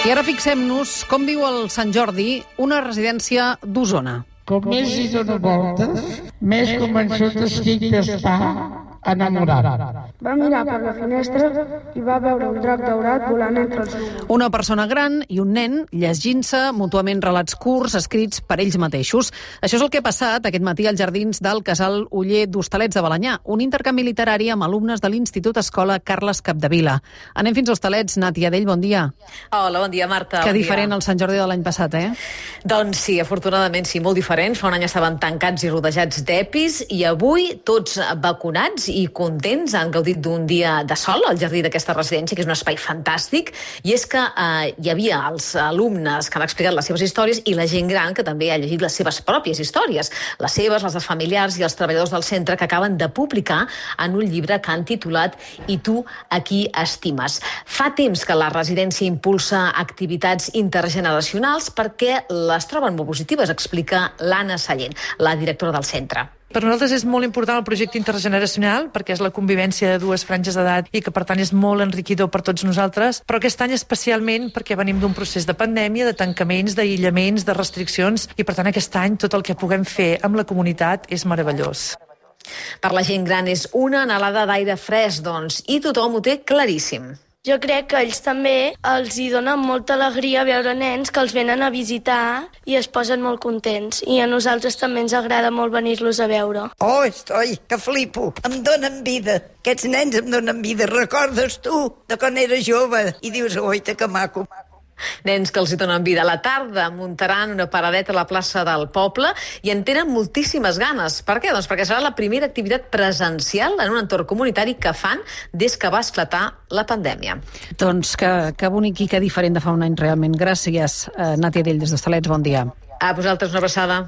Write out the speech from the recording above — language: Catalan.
I ara fixem-nos com viu el Sant Jordi, una residència d'Osona. Com més hi dono voltes, més convençut estic d'estar enamorat. Va mirar per la finestra i va veure un drac daurat volant entre els núvols. Una persona gran i un nen llegint-se mútuament relats curts escrits per ells mateixos. Això és el que ha passat aquest matí als jardins del Casal Oller d'Hostalets de Balenyà, un intercanvi literari amb alumnes de l'Institut Escola Carles Capdevila. Anem fins a Hostalets. Nàtia Dell, bon dia. Hola, bon dia, Marta. Que diferent el Sant Jordi de l'any passat, eh? Doncs sí, afortunadament sí, molt diferent. Fa un any estaven tancats i rodejats d'EPIs i avui tots vacunats i contents, han gaudit d'un dia de sol al jardí d'aquesta residència, que és un espai fantàstic, i és que hi havia els alumnes que han explicat les seves històries i la gent gran que també ha llegit les seves pròpies històries, les seves, les dels familiars i els treballadors del centre, que acaben de publicar en un llibre que han titulat I tu a qui estimes. Fa temps que la residència impulsa activitats intergeneracionals perquè les troben molt positives, explica l'Anna Sallent, la directora del centre. Per nosaltres és molt important el projecte intergeneracional perquè és la convivència de dues franges d'edat i que per tant és molt enriquidor per tots nosaltres, però aquest any especialment perquè venim d'un procés de pandèmia, de tancaments, d'aïllaments, de restriccions i per tant aquest any tot el que puguem fer amb la comunitat és meravellós. Per la gent gran és una anhelada d'aire fresc, doncs, i tothom ho té claríssim. Jo crec que a ells també els hi dona molta alegria veure nens que els venen a visitar i es posen molt contents. I a nosaltres també ens agrada molt venir-los a veure. Oh, que flipo. Em donen vida. Aquests nens em donen vida. Recordes tu de quan era jove? I dius, oita, que maco. Nens que els hi donen vida. A la tarda muntaran una paradeta a la plaça del poble i en tenen moltíssimes ganes. Per què? Doncs perquè serà la primera activitat presencial en un entorn comunitari que fan des que va esclatar la pandèmia. Doncs que bonic i que diferent de fa un any realment. Gràcies, Nàtia Dell, des d'Hostalets. Bon dia. A vosaltres una abraçada.